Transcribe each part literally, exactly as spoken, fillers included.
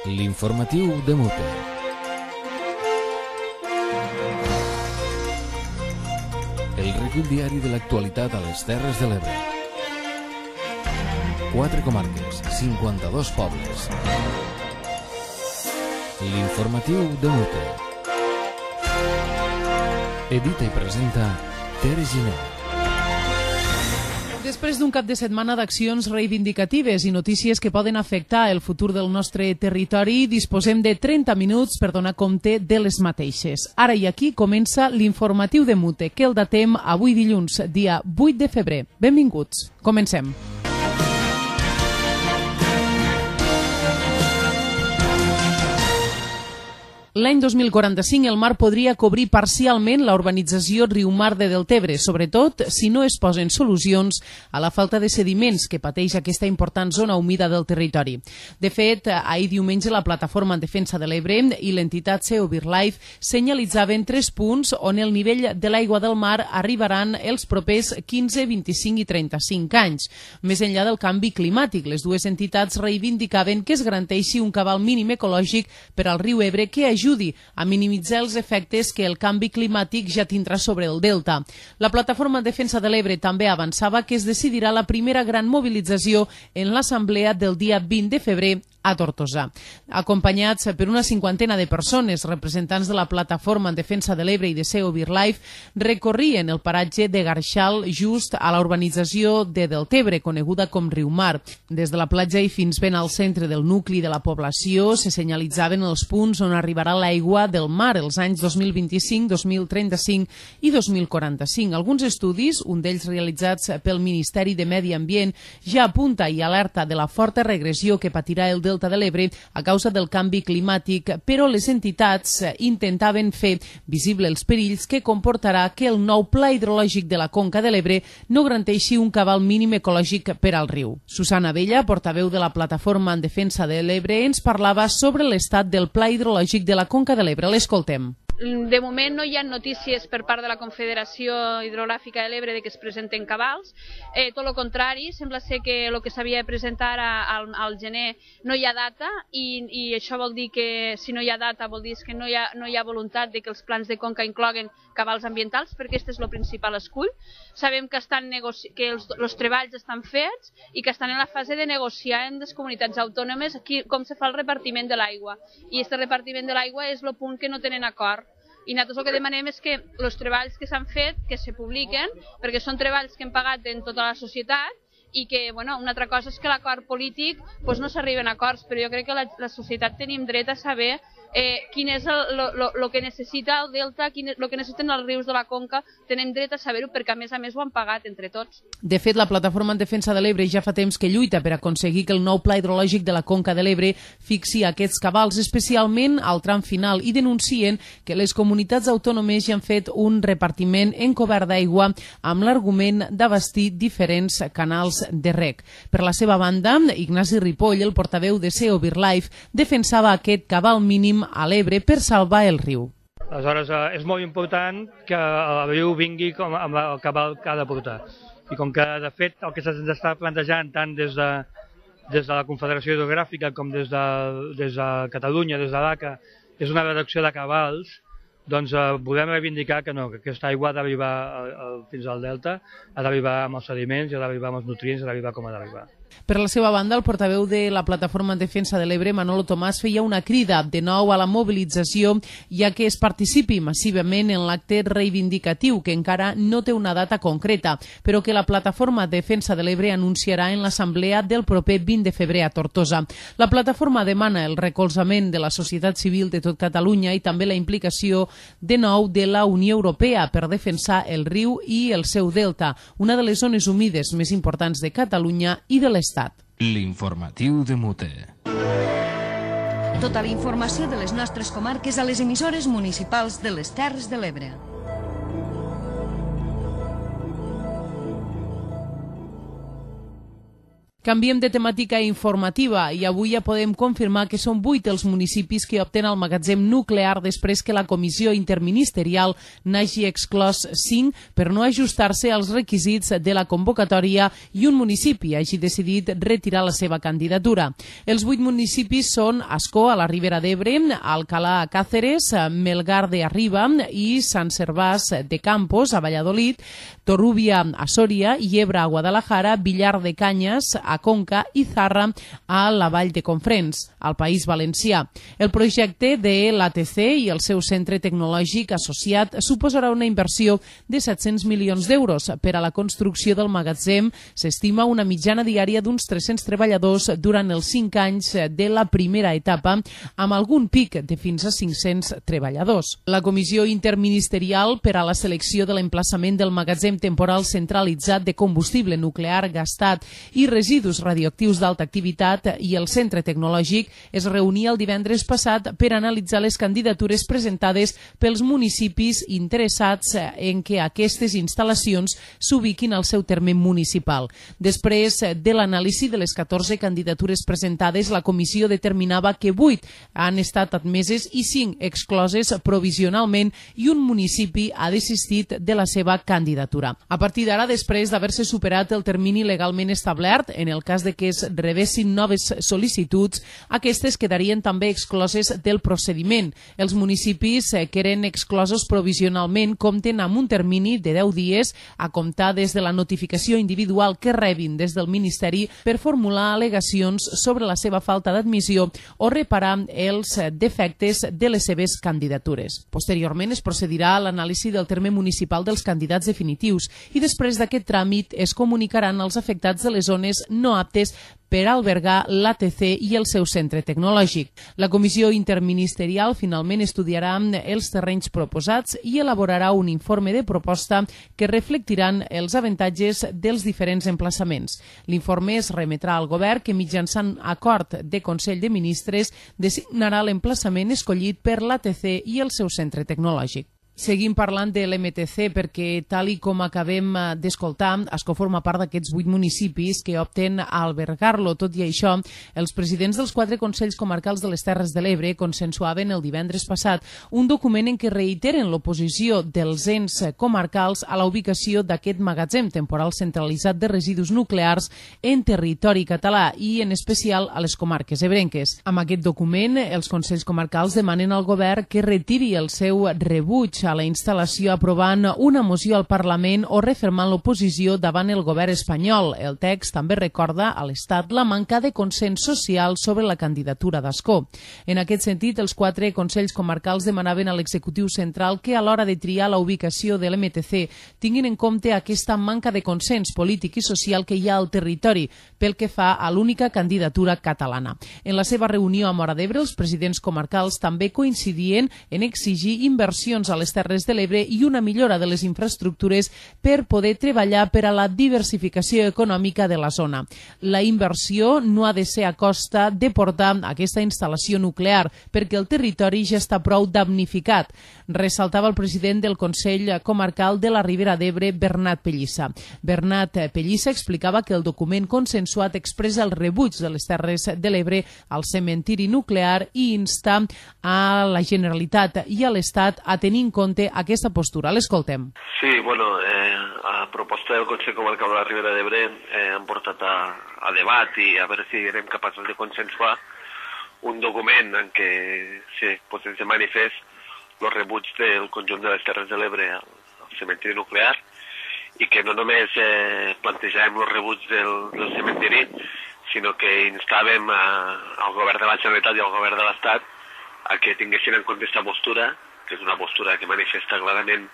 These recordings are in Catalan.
L'informatiu de Mute. El recull diari de l'actualitat a les Terres de l'Ebre. Quatre comarques, cinquanta-dos pobles. L'informatiu de Mute. Edita i presenta Tere Giner. Després d'un cap de setmana d'accions reivindicatives i notícies que poden afectar el futur del nostre territori, disposem de trenta minuts per donar compte de les mateixes. Ara i aquí comença l'informatiu de Mute, que el datem avui dilluns, dia vuit de febrer. Benvinguts. Comencem. L'any dos mil quaranta-cinc el mar podria cobrir parcialment la urbanització Riumar de Deltebre, sobretot si no es posen solucions a la falta de sediments que pateix aquesta important zona humida del territori. De fet, ahir diumenge la plataforma en defensa de l'Ebre i l'entitat C E O BirdLife senyalitzaven tres punts on el nivell de l'aigua del mar arribaran els propers quinze, vint-i-cinc i trenta-cinc anys. Més enllà del canvi climàtic, les dues entitats reivindicaven que es garanteixi un cabal mínim ecològic per al riu Ebre que ajudi a minimitzar els efectes que el canvi climàtic ja tindrà sobre el delta. La plataforma en defensa de l'Ebre també avançava que es decidirà la primera gran mobilització en l'assemblea del dia vint de febrer a Tortosa. Acompanyats per una cinquantena de persones, representants de la plataforma en defensa de l'Ebre i de C E O BirdLife, recorrien el paratge de Garxal just a la urbanització de Deltebre, coneguda com Riumar. Des de la platja i fins ben al centre del nucli de la població se senyalitzaven els punts on arribarà l'aigua del mar els anys dos mil vint-i-cinc, dos mil trenta-cinc i dos mil quaranta-cinc. Alguns estudis, un d'ells realitzats pel Ministeri de Medi Ambient, ja apunta i alerta de la forta regressió que patirà el delta de l'Ebre a causa del canvi climàtic, però les entitats intentaven fer visible els perills que comportarà que el nou pla hidrològic de la conca de l'Ebre no garanteixi un cabal mínim ecològic per al riu. Susana Abella, portaveu de la plataforma en defensa de l'Ebre, ens parlava sobre l'estat del pla hidrològic de la conca de l'Ebre. L'escoltem. De moment no hi ha notícies per part de la Confederació Hidrogràfica de l'Ebre de que es presenten cabals, eh, tot el contrari, sembla ser que el que s'havia de presentar al, al gener no hi ha data i, i això vol dir que si no hi ha data vol dir que no hi ha, no hi ha voluntat de que els plans de conca incloguen cabals ambientals, perquè aquest és el principal escull. Sabem que, estan negoci... que els, els treballs estan fets i que estan en la fase de negociar en les comunitats autònomes aquí, com se fa el repartiment de l'aigua. I aquest repartiment de l'aigua és el punt que no tenen acord. I nosaltres el que demanem és que els treballs que s'han fet, que se publiquen, perquè són treballs que hem pagat en tota la societat i que, bueno, una altra cosa és que l'acord polític doncs no s'arriben a acords, però jo crec que la, la societat tenim dret a saber eh, quin és el que necessita el delta, el que necessiten els rius de la conca, tenim dret a saber-ho perquè a més a més ho han pagat entre tots. De fet, la plataforma en defensa de l'Ebre ja fa temps que lluita per aconseguir que el nou pla hidrològic de la conca de l'Ebre fixi aquests cabals, especialment al tram final, i denuncien que les comunitats autònomes ja han fet un repartiment encobert d'aigua amb l'argument d'abastir diferents canals de reg. Per la seva banda, Ignasi Ripoll, el portaveu de C E O BirdLife, defensava aquest cabal mínim a l'Ebre per salvar el riu. Aleshores, eh, és molt important que el riu vingui com amb el cabal que ha de portar. I com que, de fet, el que se'ns està plantejant tant des de, des de la Confederació Hidrogràfica com des de, des de Catalunya, des de l'A C A, és una reducció de cabals, doncs eh, podem reivindicar que no, que aquesta aigua ha d'arribar fins al delta, ha d'arribar amb els sediments, ha d'arribar amb els nutrients, ha d'arribar com ha d'arribar. Per la seva banda, el portaveu de la plataforma en defensa de l'Ebre, Manolo Tomàs, feia una crida de nou a la mobilització, ja que es participi massivament en l'acte reivindicatiu, que encara no té una data concreta, però que la plataforma en defensa de l'Ebre anunciarà en l'assemblea del proper vint de febrer a Tortosa. La plataforma demana el recolzament de la societat civil de tot Catalunya i també la implicació de nou de la Unió Europea per defensar el riu i el seu delta, una de les zones humides més importants de Catalunya i de l'Estat. L'informatiu de Mute. Tota la informació de les nostres comarques a les emissores municipals de les Terres de l'Ebre. Canviem de temàtica informativa i avui ja podem confirmar que són vuit els municipis que opten al magatzem nuclear després que la comissió interministerial n'hagi exclòs cinc per no ajustar-se als requisits de la convocatòria i un municipi hagi decidit retirar la seva candidatura. Els vuit municipis són Ascó, a la Ribera d'Ebre, Alcalá, a Càceres, Melgar de Arriba i Sant Servás de Campos, a Valladolid, Torrubia, a Sòria, Yebra, a Guadalajara, Villar de Canyes, a Conca i Zarra, a la Vall de Confrens, al País Valencià. El projecte de l'A T C i el seu centre tecnològic associat suposarà una inversió de set-cents milions d'euros. Per a la construcció del magatzem s'estima una mitjana diària d'uns tres-cents treballadors durant els cinc anys de la primera etapa, amb algun pic de fins a cinc-cents treballadors. La Comissió Interministerial per a la selecció de l'emplaçament del magatzem temporal centralitzat de combustible nuclear gastat i residus radioactius d'alta activitat i el centre tecnològic es reunia el divendres passat per analitzar les candidatures presentades pels municipis interessats en què aquestes instal·lacions s'ubiquin al seu terme municipal. Després de l'anàlisi de les catorze candidatures presentades, la comissió determinava que vuit han estat admeses i cinc excloses provisionalment i un municipi ha desistit de la seva candidatura. A partir d'ara, després d'haver-se superat el termini legalment establert, en el cas de que es rebessin noves sol·licituds, aquestes quedarien també excloses del procediment. Els municipis que eren exclosos provisionalment compten amb un termini de deu dies a comptar des de la notificació individual que rebin des del Ministeri per formular al·legacions sobre la seva falta d'admissió o reparar els defectes de les seves candidatures. Posteriorment es procedirà a l'anàlisi del terme municipal dels candidats definitius i després d'aquest tràmit es comunicaran als afectats de les zones no aptes per albergar l'A T C i el seu centre tecnològic. La comissió interministerial finalment estudiarà els terrenys proposats i elaborarà un informe de proposta que reflectiran els avantatges dels diferents emplaçaments. L'informe es remetrà al govern que mitjançant acord de Consell de Ministres designarà l'emplaçament escollit per l'A T C i el seu centre tecnològic. Seguim parlant de l'M T C perquè, tal i com acabem d'escoltar, Ascó forma part d'aquests vuit municipis que opten a albergar-lo. Tot i això, els presidents dels quatre Consells Comarcals de les Terres de l'Ebre consensuaven el divendres passat un document en què reiteren l'oposició dels ens comarcals a la ubicació d'aquest magatzem temporal centralitzat de residus nuclears en territori català i, en especial, a les comarques ebrenques. Amb aquest document, els Consells Comarcals demanen al govern que retiri el seu rebuig a la instal·lació aprovant una moció al Parlament o refermant l'oposició davant el govern espanyol. El text també recorda a l'Estat la manca de consens social sobre la candidatura d'Ascó. En aquest sentit, els quatre Consells Comarcals demanaven a l'executiu central que a l'hora de triar la ubicació de l'M T C tinguin en compte aquesta manca de consens polític i social que hi ha al territori pel que fa a l'única candidatura catalana. En la seva reunió a Móra d'Ebre, els presidents comarcals també coincidien en exigir inversions a les Terres de l'Ebre i una millora de les infraestructures per poder treballar per a la diversificació econòmica de la zona. La inversió no ha de ser a costa de portar aquesta instal·lació nuclear, perquè el territori ja està prou damnificat, ressaltava el president del Consell Comarcal de la Ribera d'Ebre, Bernat Pellissa. Bernat Pellissa explicava que el document consensuat expressa el rebuig de les Terres de l'Ebre al cementiri nuclear i insta a la Generalitat i a l'Estat a tenir en compte aquesta postura. L'escoltem. Sí, bueno, eh, a proposta del Consell Comarcal de la Ribera d'Ebre eh, han portat a, a debat i a veure si érem capaços de consensuar un document en què se posés de manifest el rebuig del conjunt de les Terres de l'Ebre al, al cementiri nuclear i que no només eh, plantejàvem el rebuig del, del cementiri, sinó que instàvem a, al govern de la Generalitat i al govern de l'Estat a que tinguessin en compte aquesta postura, que és una postura que manifesta clarament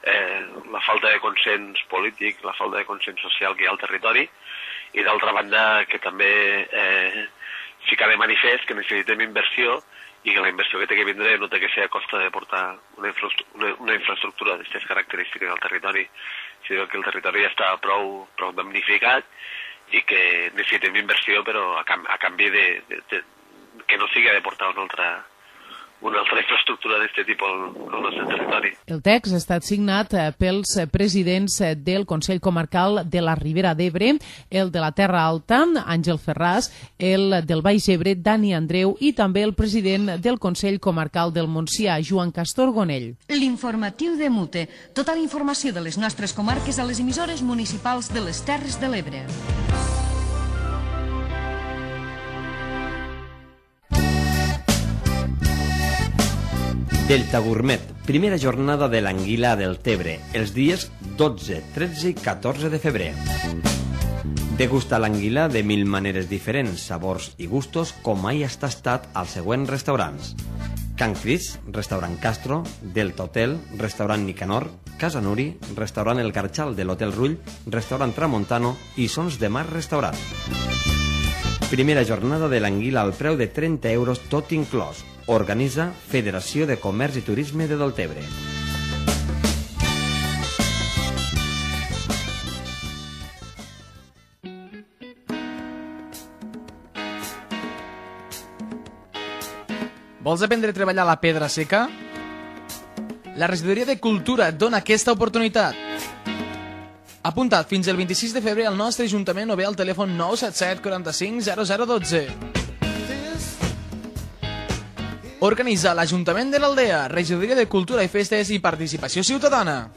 eh, la falta de consens polític, la falta de consens social que hi ha al territori, i d'altra banda que també eh, fica de manifest que necessitem inversió i que la inversió que té que vindre no té que ser a costa de portar una, infraestructura, una, una infraestructura d'aquestes característiques al territori, sinó que el territori ja està prou, prou damnificat i que necessitem inversió, però a, cam, a canvi de, de, de, que no sigui de portar una altra una altra infraestructura d'aquest tipus al, al nostre territori. El text ha estat signat pels presidents del Consell Comarcal de la Ribera d'Ebre, el de la Terra Alta, Àngel Ferràs, el del Baix Ebre, Dani Andreu, i també el president del Consell Comarcal del Montsià, Joan Castor Gonell. L'informatiu de Mute. Tota la informació de les nostres comarques a les emissores municipals de les Terres de l'Ebre. Delta Gourmet, primera jornada de l'anguila del Tebre, els dies dotze, tretze i catorze de febrer. Degusta l'anguila de mil maneres diferents, sabors i gustos, com mai has tastat als següents restaurants: Can Cris, restaurant Castro, Delta Hotel, restaurant Nicanor, Casa Nuri, restaurant El Garxal de l'Hotel Rull, restaurant Tramontano i Sons de Mar Restaurant. Primera jornada de l'anguila al preu de trenta euros tot inclòs. Organitza Federació de Comerç i Turisme de Deltebre. Vols aprendre a treballar la pedra seca? La Regidoria de Cultura et dona aquesta oportunitat. Apunta't fins el vint-i-sis de febrer al nostre Ajuntament o bé al telèfon nou set set quaranta-cinc zero zero dotze. Organitza l'Ajuntament de l'Aldea, Regidoria de Cultura i Festes i Participació Ciutadana.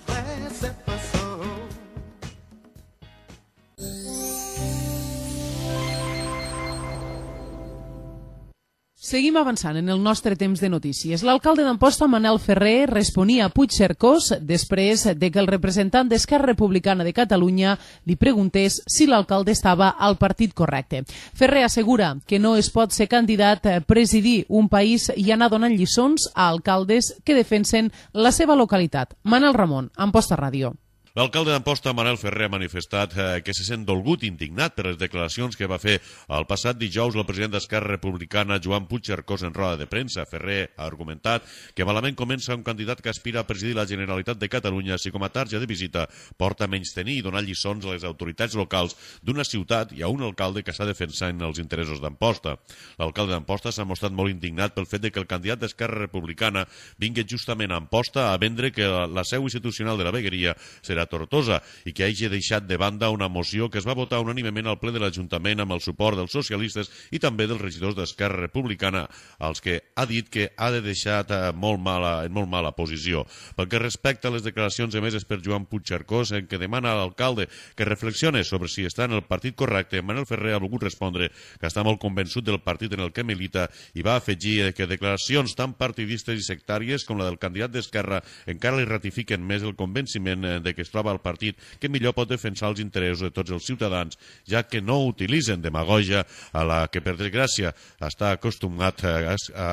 Seguim avançant en el nostre temps de notícies. L'alcalde d'Amposta, Manel Ferrer, responia a Puigcercós després de que el representant d'Esquerra Republicana de Catalunya li preguntés si l'alcalde estava al partit correcte. Ferrer assegura que no es pot ser candidat a presidir un país i anar donant lliçons a alcaldes que defensen la seva localitat. Manel Ramon, Amposta Ràdio. L'alcalde d'Amposta, Manel Ferrer, ha manifestat eh, que se sent dolgut i indignat per les declaracions que va fer el passat dijous el president d'Esquerra Republicana, Joan Puigcercós, en roda de premsa. Ferrer ha argumentat que malament comença un candidat que aspira a presidir la Generalitat de Catalunya si com a tarja de visita porta a menystenir i donar lliçons a les autoritats locals d'una ciutat i a un alcalde que està defensant els interessos d'Amposta. L'alcalde d'Amposta s'ha mostrat molt indignat pel fet de que el candidat d'Esquerra Republicana vingui justament a Amposta a vendre que la, la seu institucional de la vegueria serà Tortosa i que hagi deixat de banda una moció que es va votar unànimement al ple de l'Ajuntament amb el suport dels socialistes i també dels regidors d'Esquerra Republicana, als que ha dit que ha de deixar molt mala, en molt mala posició. Pel que respecta a les declaracions emeses per Joan Puigcercós, en què demana a l'alcalde que reflexione sobre si està en el partit correcte, Manel Ferrer ha volgut respondre que està molt convençut del partit en el que milita i va afegir que declaracions tan partidistes i sectàries com la del candidat d'Esquerra encara li ratifiquen més el convenciment de que es troba al partit que millor pot defensar els interessos de tots els ciutadans, ja que no utilitzen demagogia a la que, per desgràcia, està acostumat a, a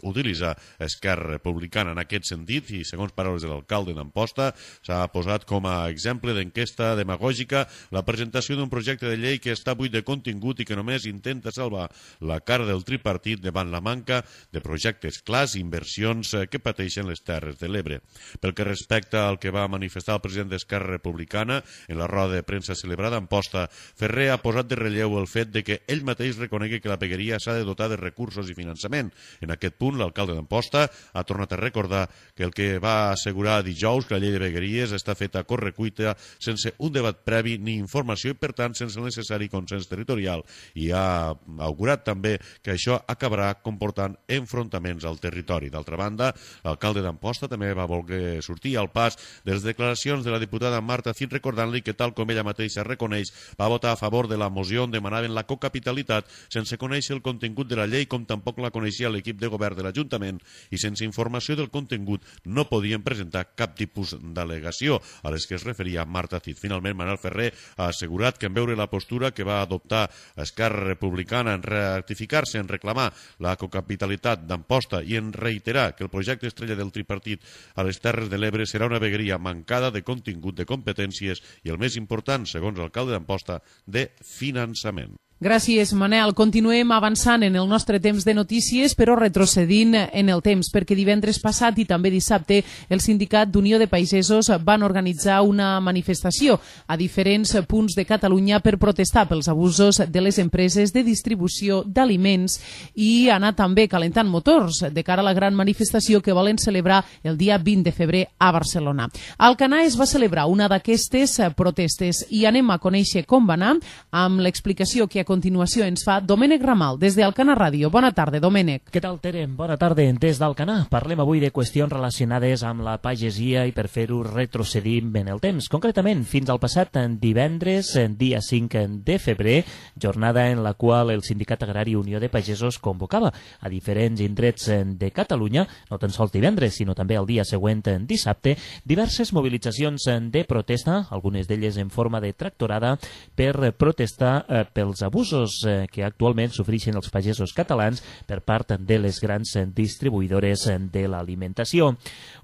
utilitzar Esquerra Republicana. En aquest sentit, i segons paraules de l'alcalde d'Amposta, s'ha posat com a exemple d'enquesta demagògica la presentació d'un projecte de llei que està buit de contingut i que només intenta salvar la cara del tripartit davant la manca de projectes clars i inversions que pateixen les Terres de l'Ebre. Pel que respecta al que va manifestar el president d'Esquerra Republicana en la roda de premsa celebrada a Amposta, Ferrer ha posat de relleu el fet de que ell mateix reconegui que la vegueria s'ha de dotar de recursos i finançament. En aquest punt, l'alcalde d'Amposta ha tornat a recordar que el que va assegurar dijous que la llei de vegueries està feta a correcuita sense un debat previ ni informació i, per tant, sense el necessari consens territorial, i ha augurat també que això acabarà comportant enfrontaments al territori. D'altra banda, l'alcalde d'Amposta també va voler sortir al pas de les declaracions de la diputada Marta Cid, recordant-li que, tal com ella mateixa reconeix, va votar a favor de la moció on demanaven la cocapitalitat sense conèixer el contingut de la llei, com tampoc la coneixia l'equip de govern de l'Ajuntament, i sense informació del contingut no podien presentar cap tipus d'al·legació a les que es referia Marta Cid. Finalment, Manel Ferrer ha assegurat que en veure la postura que va adoptar Esquerra Republicana en rectificar-se, en reclamar la cocapitalitat d'Amposta i en reiterar que el projecte estrella del tripartit a les Terres de l'Ebre serà una vegueria mancada de contingut, de competències i, el més important, segons l'alcalde d'Amposta, de finançament. Gràcies, Manel. Continuem avançant en el nostre temps de notícies, però retrocedint en el temps, perquè divendres passat i també dissabte el Sindicat d'Unió de Pagesos van organitzar una manifestació a diferents punts de Catalunya per protestar pels abusos de les empreses de distribució d'aliments i anar també calentant motors de cara a la gran manifestació que volen celebrar el dia vint de febrer a Barcelona. A Alcanar es va celebrar una d'aquestes protestes i anem a conèixer com va anar amb l'explicació que a continuació ens fa Domènec Ramal des d'Alcanar Ràdio. Bona tarda, Domènec. Què tal, Tere? Bona tarda des d'Alcanar. Parlem avui de qüestions relacionades amb la pagesia i per fer-ho retrocedim en el temps. Concretament, fins al passat divendres, dia cinc de febrer, jornada en la qual el Sindicat Agrari Unió de Pagesos convocava a diferents indrets de Catalunya, no tan sols divendres, sinó també el dia següent, dissabte, diverses mobilitzacions de protesta, algunes d'elles en forma de tractorada, per protestar eh, pels abusos eh, que actualment sofreixen els pagesos catalans per part de les grans distribuïdores de l'alimentació.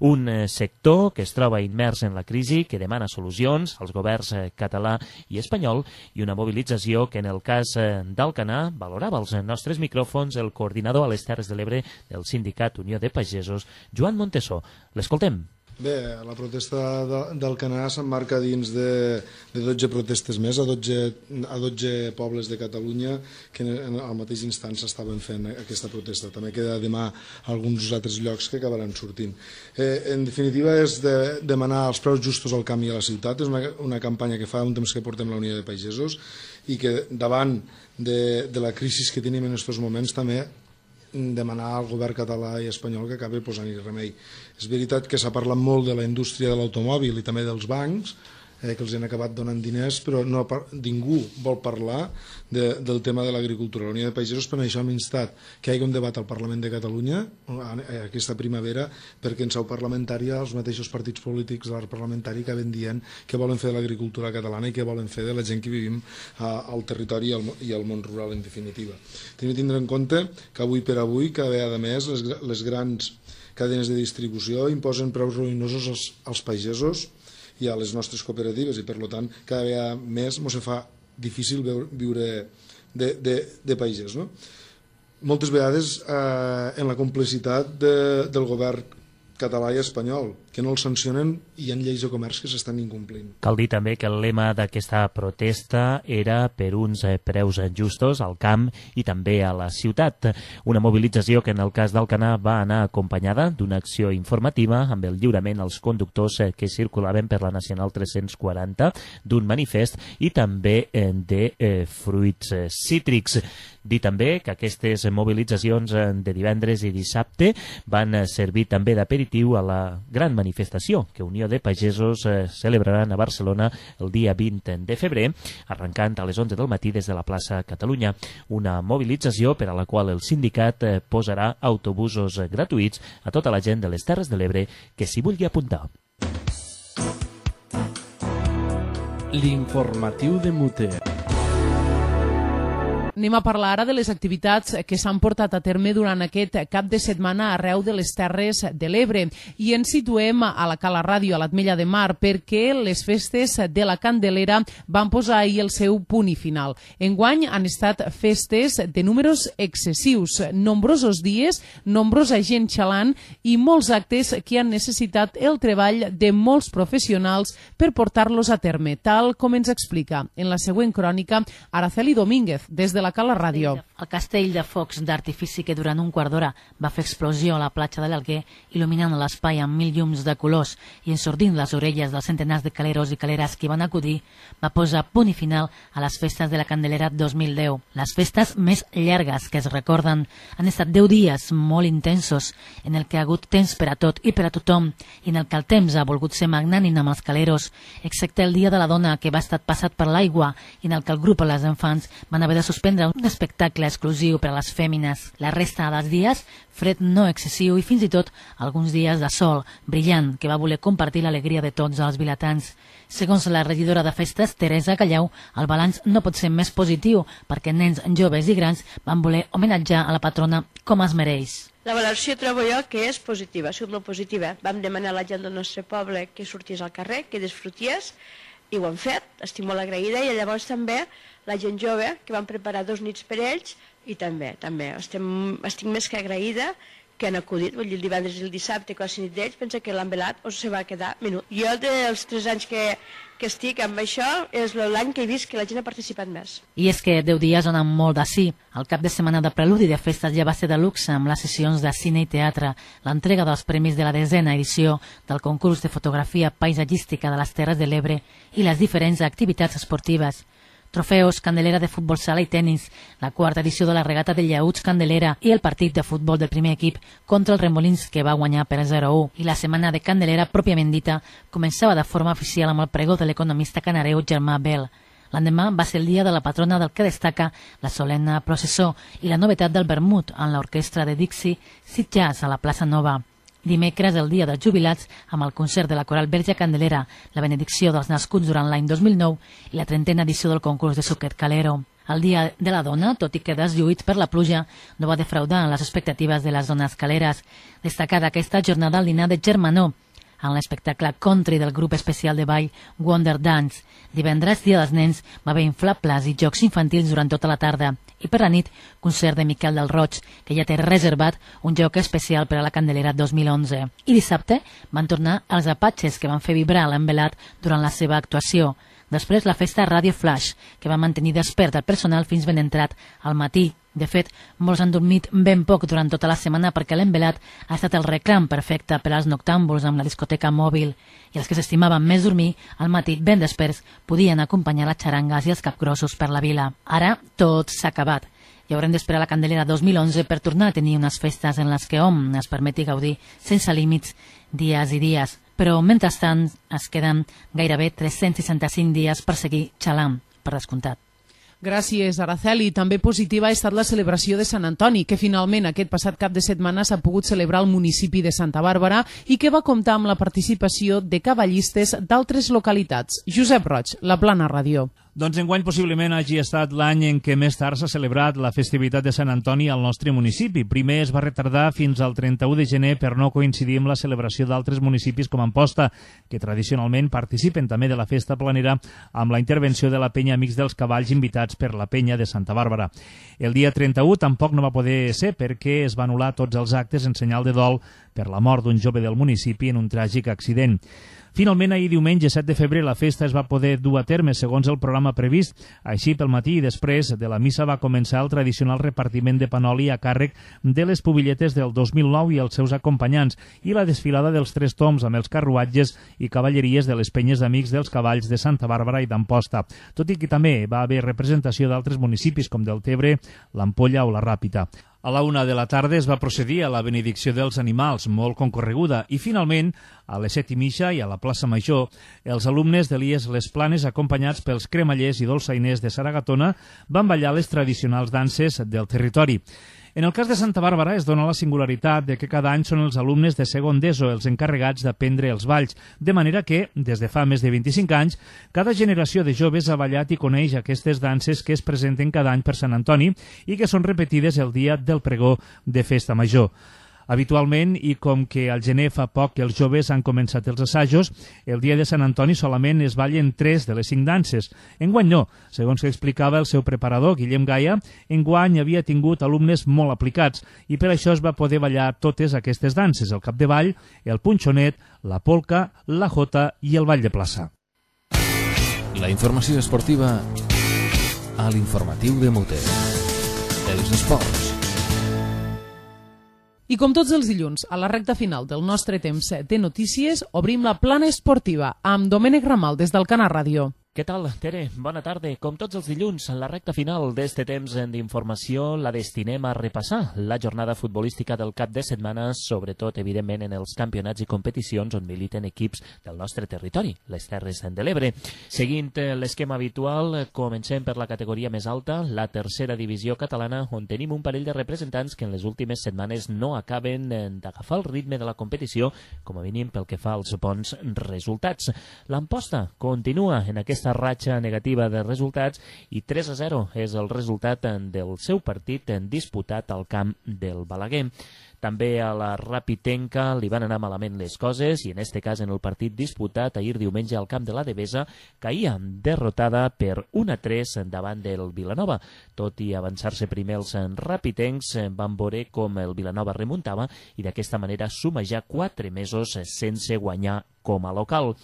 Un eh, sector que es troba immers en la crisi, que demana solucions als governs eh, català i espanyol, i una mobilització que en el cas eh, d'Alcanar valorava als nostres micròfons el coordinador a les Terres de l'Ebre del Sindicat Unió de Pagesos, Joan Montesó. L'escoltem. Bé, la protesta d'Alcanar s'emmarca dins de, de dotze protestes més a dotze, a dotze pobles de Catalunya que en, al mateix instant s'estaven fent aquesta protesta. També queda demà alguns altres llocs que acabaran sortint. Eh, en definitiva és de demanar els preus justos al camp i a la ciutat. És una, una campanya que fa un temps que portem la Unió de Pagesos i que davant de, de la crisi que tenim en aquests moments també demanar al govern català i espanyol que acabi posant-hi remei. És veritat que s'ha parlat molt de la indústria de l'automòbil i també dels bancs, eh, que els han acabat donant diners, però no, ningú vol parlar de, del tema de l'agricultura. La Unió de Pagesos per això hem instat que hi hagi un debat al Parlament de Catalunya aquesta primavera, perquè en seu parlamentària els mateixos partits polítics de l'art parlamentari que ven dient que volen fer de l'agricultura catalana i que volen fer de la gent que vivim al territori i al, i al món rural en definitiva. Tenim de tindre en compte que avui per avui cada vegada més les, les grans cadenes de distribució imposen preus ruïnosos als, als pagesos i a les nostres cooperatives i per tant cada vegada més ens fa difícil viure de, de, de pagès. No? Moltes vegades eh, en la complicitat de, del govern català i espanyol, que no els sancionen i hi ha lleis de comerç que s'estan incomplint. Cal dir també que el lema d'aquesta protesta era per uns preus justos al camp i també a la ciutat. Una mobilització que en el cas d'Alcanar va anar acompanyada d'una acció informativa amb el lliurament als conductors que circulaven per la Nacional tres-cents quaranta, d'un manifest i també de eh, fruits cítrics. Dir també que aquestes mobilitzacions de divendres i dissabte van servir també d'aperitiu a la gran manifestació que Unió de Pagesos eh, celebraran a Barcelona el dia vint de febrer, arrencant a les onze del matí des de la plaça Catalunya. Una mobilització per a la qual el sindicat eh, posarà autobusos eh, gratuïts a tota la gent de les Terres de l'Ebre que s'hi vulgui apuntar. L'informatiu de Muter. Anem a parlar ara de les activitats que s'han portat a terme durant aquest cap de setmana arreu de les Terres de l'Ebre i ens situem a la Cala Ràdio, a l'Ametlla de Mar, perquè les festes de la Candelera van posar ahir el seu punt i final. Enguany han estat festes de números excessius, nombrosos dies, nombrosa gent xalant i molts actes que han necessitat el treball de molts professionals per portar-los a terme, tal com ens explica en la següent crònica Araceli Domínguez, des de la Cala Ràdio. El castell de focs d'artifici que durant un quart d'hora va fer explosió a la platja de l'Alguer, il·luminant l'espai amb mil llums de colors i ensordint les orelles dels centenars de caleros i caleres que van acudir, va posar punt i final a les festes de la Candelera dos mil deu. Les festes més llargues que es recorden han estat deu dies molt intensos, en el que ha hagut temps per a tot i per a tothom, i en el que el temps ha volgut ser magnànim amb els caleros, excepte el dia de la dona, que va estar passat per l'aigua, i en el que el grup i les infants van haver de suspendre un espectacle exclusiu per a les fèmines. La resta dels dies, fred no excessiu i fins i tot alguns dies de sol brillant que va voler compartir l'alegria de tots els vilatans. Segons la regidora de festes, Teresa Callau, el balanç no pot ser més positiu perquè nens, joves i grans van voler homenatjar a la patrona com es mereix. La valoració trobo jo que és positiva, ha sigut molt positiva. Vam demanar a la gent del nostre poble que sortís al carrer, que disfrutés, i ho han fet, estic molt agraïda, i llavors també la gent jove, que van preparar dos nits per ells, i també, també, estem, estic més que agraïda que han acudit, vull dir, el divendres i el dissabte, quasi nit d'ells, pensa que l'han velat o se va quedar menut. Jo, dels tres anys que, que estic amb això, és l'any que he vist que la gent ha participat més. I és que deu dies on amb molt d'ací. El cap de setmana de preludi de festes ja va ser de luxe amb les sessions de cine i teatre, l'entrega dels premis de la desena edició del concurs de fotografia paisatgística de les Terres de l'Ebre i les diferents activitats esportives. Trofeus, Candelera de futbol sala i tennis, la quarta edició de la regata de llauts Candelera i el partit de futbol del primer equip contra el Remolins, que va guanyar per zero a u. I la setmana de Candelera, pròpiament dita, començava de forma oficial amb el pregó de l'economista canareu Germà Bel. L'endemà va ser el dia de la patrona del que destaca la solemne processó i la novetat del vermut en l'orquestra de Dixie Sit Jazz a la plaça Nova. Dimecres, el dia dels jubilats, amb el concert de la Coral Verge Candelera, la benedicció dels nascuts durant l'any dos mil nou i la trentena edició del concurs de Suquet Calero. El Dia de la Dona, tot i que deslluït per la pluja, no va defraudar les expectatives de les dones caleres. Destacada aquesta jornada al dinar de Germanó, en l'espectacle country del grup especial de ball Wonder Dance. Divendres, dia dels nens, va haver inflables i jocs infantils durant tota la tarda. I per la nit, concert de Miquel del Roig, que ja té reservat un joc especial per a la Candelera dos mil onze. I dissabte van tornar els Apatxes, que van fer vibrar l'envelat durant la seva actuació. Després, la festa Radio Flash, que va mantenir despert el personal fins ben entrat al matí. De fet, molts han dormit ben poc durant tota la setmana perquè l'envelat ha estat el reclam perfecte per als noctàmbuls amb la discoteca mòbil. I els que s'estimaven més dormir, al matí ben desperts, podien acompanyar les xarangues i els capgrossos per la vila. Ara, tot s'ha acabat. I haurem d'esperar la Candelera dos mil onze per tornar a tenir unes festes en les que hom es permeti gaudir sense límits dies i dies. Però, mentrestant, es queden gairebé tres-cents seixanta-cinc dies per seguir xalant, per descomptat. Gràcies, Araceli. També positiva ha estat la celebració de Sant Antoni, que finalment aquest passat cap de setmana s'ha pogut celebrar al municipi de Santa Bàrbara i que va comptar amb la participació de cavallistes d'altres localitats. Josep Roig, La Plana Ràdio. Doncs enguany possiblement hagi estat l'any en què més tard s'ha celebrat la festivitat de Sant Antoni al nostre municipi. Primer es va retardar fins al trenta-u de gener per no coincidir amb la celebració d'altres municipis com Amposta, que tradicionalment participen també de la festa planera amb la intervenció de la penya Amics dels Cavalls invitats per la penya de Santa Bàrbara. El dia trenta-u tampoc no va poder ser perquè es va anul·lar tots els actes en senyal de dol per la mort d'un jove del municipi en un tràgic accident. Finalment, ahir diumenge set de febrer, la festa es va poder dur a terme segons el programa previst. Així, pel matí i després de la missa va començar el tradicional repartiment de panoli a càrrec de les pubilletes del dos mil nou i els seus acompanyants i la desfilada dels tres toms amb els carruatges i cavalleries de les penyes d'Amics dels Cavalls de Santa Bàrbara i d'Amposta, tot i que també va haver representació d'altres municipis com Deltebre, l'Ampolla o la Ràpita. A la una de la tarda es va procedir a la benedicció dels animals, molt concorreguda, i finalment, a les set i mitja i a la plaça Major, els alumnes de l'I E S Les Planes, acompanyats pels cremallers i dolçainers de Saragatona, van ballar les tradicionals danses del territori. En el cas de Santa Bàrbara es dona la singularitat de que cada any són els alumnes de segon d'ESO els encarregats d'aprendre els balls, de manera que, des de fa més de vint-i-cinc anys, cada generació de joves ha ballat i coneix aquestes danses que es presenten cada any per Sant Antoni i que són repetides el dia del pregó de Festa Major. Habitualment, i com que al gener fa poc que els joves han començat els assajos, el dia de Sant Antoni solament es ballen tres de les cinc danses. Enguany no, segons que explicava el seu preparador, Guillem Gaia, enguany havia tingut alumnes molt aplicats i per això es va poder ballar totes aquestes danses, el capdavall, el punxonet, la polca, la jota i el ball de plaça. La informació esportiva a l'informatiu de Mute. Els esports. I com tots els dilluns, a la recta final del nostre temps de notícies, obrim la plana esportiva amb Domènec Ramal des del Canà Ràdio. Què tal, Tere? Bona tarda. Com tots els dilluns, en la recta final d'este temps d'informació la destinem a repassar la jornada futbolística del cap de setmana, sobretot, evidentment, en els campionats i competicions on militen equips del nostre territori, les Terres de l'Ebre. Seguint l'esquema habitual, comencem per la categoria més alta, la tercera divisió catalana, on tenim un parell de representants que en les últimes setmanes no acaben d'agafar el ritme de la competició, com a mínim pel que fa als bons resultats. L'Amposta continua en aquesta aquesta ratxa negativa de resultats i tres a zero és el resultat del seu partit disputat al camp del Balaguer. També a la Rapitenca li van anar malament les coses i en este cas en el partit disputat ahir diumenge al camp de la Devesa caïa derrotada per un a tres davant del Vilanova. Tot i avançar-se primer els rapitencs van veure com el Vilanova remuntava i d'aquesta manera suma ja quatre mesos sense guanyar com a local.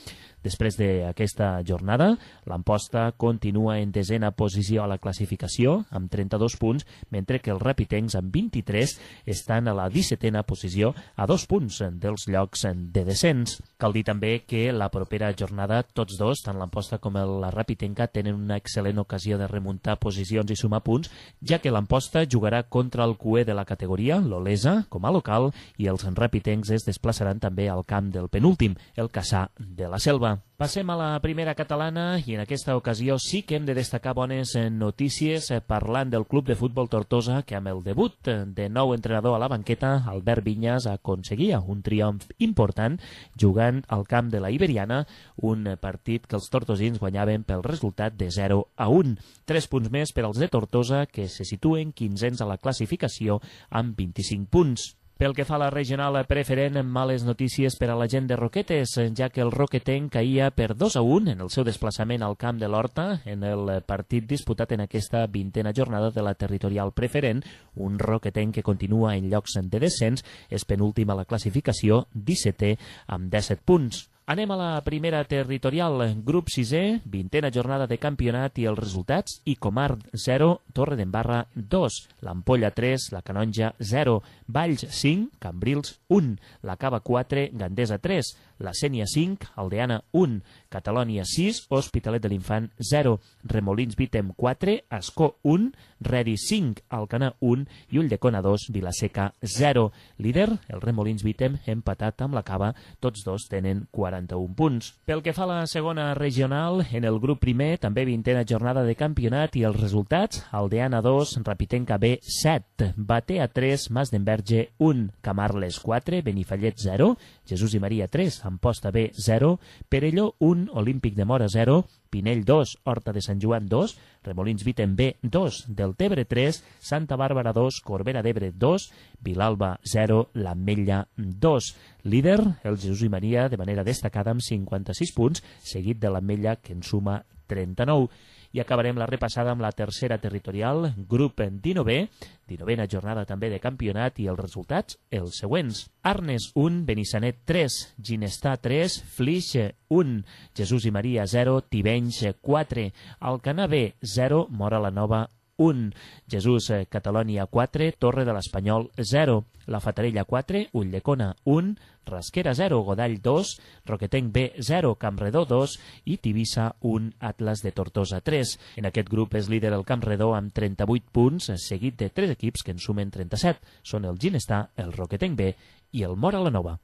Després d'aquesta jornada, l'Amposta continua en desena posició a la classificació, amb trenta-dos punts, mentre que els rapitencs, amb vint-i-tres, estan a la dissetena posició, a dos punts dels llocs de descens. Cal dir també que la propera jornada, tots dos, tant l'Amposta com la Rapitenca, tenen una excel·lent ocasió de remuntar posicions i sumar punts, ja que l'Amposta jugarà contra el cué de la categoria, l'Olesa, com a local, i els rapitencs es desplaçaran també al camp del penúltim, el Cassà de la Selva. Passem a la primera catalana i en aquesta ocasió sí que hem de destacar bones notícies parlant del Club de Futbol Tortosa que amb el debut de nou entrenador a la banqueta, Albert Vinyas, aconseguia un triomf important jugant al camp de la Iberiana, un partit que els tortosins guanyaven pel resultat de zero a un. Tres punts més per als de Tortosa que se situen quinzens a la classificació amb vint-i-cinc punts. Pel que fa a la regional preferent, males notícies per a la gent de Roquetes, ja que el roquetenc caïa per dos a un en el seu desplaçament al camp de l'Horta en el partit disputat en aquesta vintena jornada de la territorial preferent. Un roquetenc que continua en llocs de descens, és penúltim a la classificació, dissetè amb disset punts. Anem a la primera territorial, grup sisè, vintena jornada de campionat i els resultats: Icomar zero, Torredembarra dos, l'Ampolla tres, la Canonja zero, Valls cinc, Cambrils un, la Cava quatre, Gandesa tres, la Sénia cinc, Aldeana un, Catalònia sis, Hospitalet de l'Infant zero, Remolins Vítem quatre, Ascó un, Reri cinc, Alcanar un i Ulldecona dos, Vilaseca zero. Líder, el Remolins Vítem, empatat amb la Cava, tots dos tenen quaranta-un punts. Pel que fa a la segona regional, en el grup primer, també vintena jornada de campionat i els resultats: Aldeana dos, Rapitenca B set, Batea tres, Mas d'Enverge un, Camarles quatre, Benifallet zero, Jesús i Maria tres, Amposta B zero, Perelló un, Olímpic de Mora zero, Pinell dos, Horta de Sant Joan dos, Remolins Vítem B dos, Deltebre tres, Santa Bàrbara dos, Corbera d'Ebre dos, Vilalba zero, l'Ametlla dos. Líder, el Jesús i Maria, de manera destacada amb cinquanta-sis punts, seguit de l'Ametlla, que en suma trenta-nou. I acabarem la repassada amb la tercera territorial, grup dinovè, dinovena jornada també de campionat i els resultats, els següents: Arnes un, Benissanet tres, Ginestà tres, Flix un, Jesús i Maria zero, Tivenys quatre, Alcanar B zero, Mora la Nova un, Jesús Catalònia quatre, Torre de l'Espanyol zero, la Fatarella quatre, Ulldecona un, Rasquera zero, Godall dos, Roquetenc B zero, Campredó dos i Tivissa un, Atlas de Tortosa tres. En aquest grup és líder el Campredó amb trenta-vuit punts, seguit de tres equips que en sumen trenta-set. Són el Ginestà, el Roquetenc B i el Mora la Nova.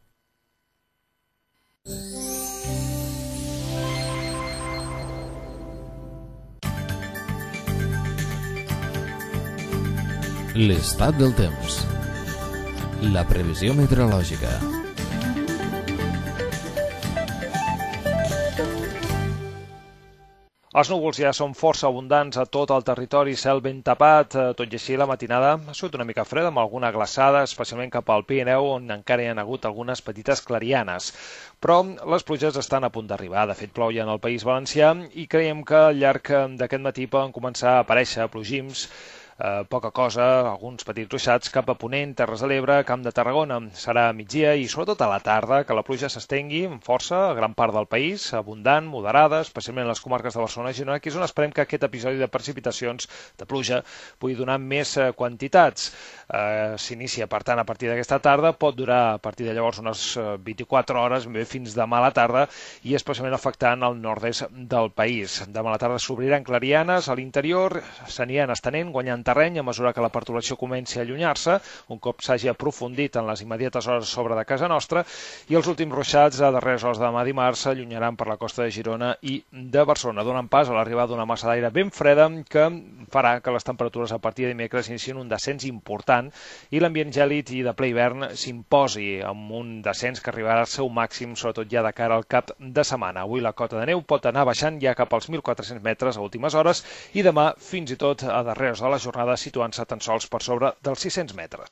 L'estat del temps. La previsió meteorològica. Els núvols ja són força abundants a tot el territori, cel ben tapat, tot i així la matinada ha sigut una mica freda amb alguna glaçada, especialment cap al Pirineu, on encara hi ha hagut algunes petites clarianes. Però les pluges estan a punt d'arribar. De fet, plou ja en el País Valencià i creiem que al llarg d'aquest matí poden començar a aparèixer plogims, Eh, poca cosa, alguns petits ruixats cap a Ponent, Terres de l'Ebre, Camp de Tarragona. Serà a migdia i sobretot a la tarda que la pluja s'estengui amb força a gran part del país, abundant, moderada, especialment en les comarques de Barcelona i Girona, que és on esperem que aquest episodi de precipitacions de pluja pugui donar més eh, quantitats. Eh, S'inicia, per tant, a partir d'aquesta tarda, pot durar a partir de llavors unes vint-i-quatre hores, bé fins demà a la tarda, i especialment afectant el nord-est del país. Demà a la tarda s'obriran clarianes, a l'interior s'aniran estenent, guanyant terreny a mesura que la perturbació comenci a allunyar-se, un cop s'hagi aprofundit en les immediates hores sobre de casa nostra, i els últims ruixats a darreres hores de demà dimarts s'allunyaran per la costa de Girona i de Barcelona, donant pas a l'arribada d'una massa d'aire ben freda que farà que les temperatures a partir de dimecres inicien un descens important i l'ambient gèlid i de ple hivern s'imposi amb un descens que arribarà al seu màxim, sobretot ja de cara al cap de setmana. Avui la cota de neu pot anar baixant ja cap als mil quatre-cents metres a últimes hores i demà fins i tot a darreres de la jornada situant-se tan sols per sobre dels sis-cents metres.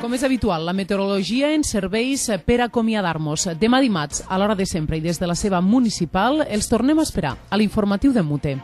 Com és habitual, la meteorologia ens serveix per acomiadar-nos. Demà dimarts, a l'hora de sempre i des de la seva municipal, els tornem a esperar a l'informatiu de Mute.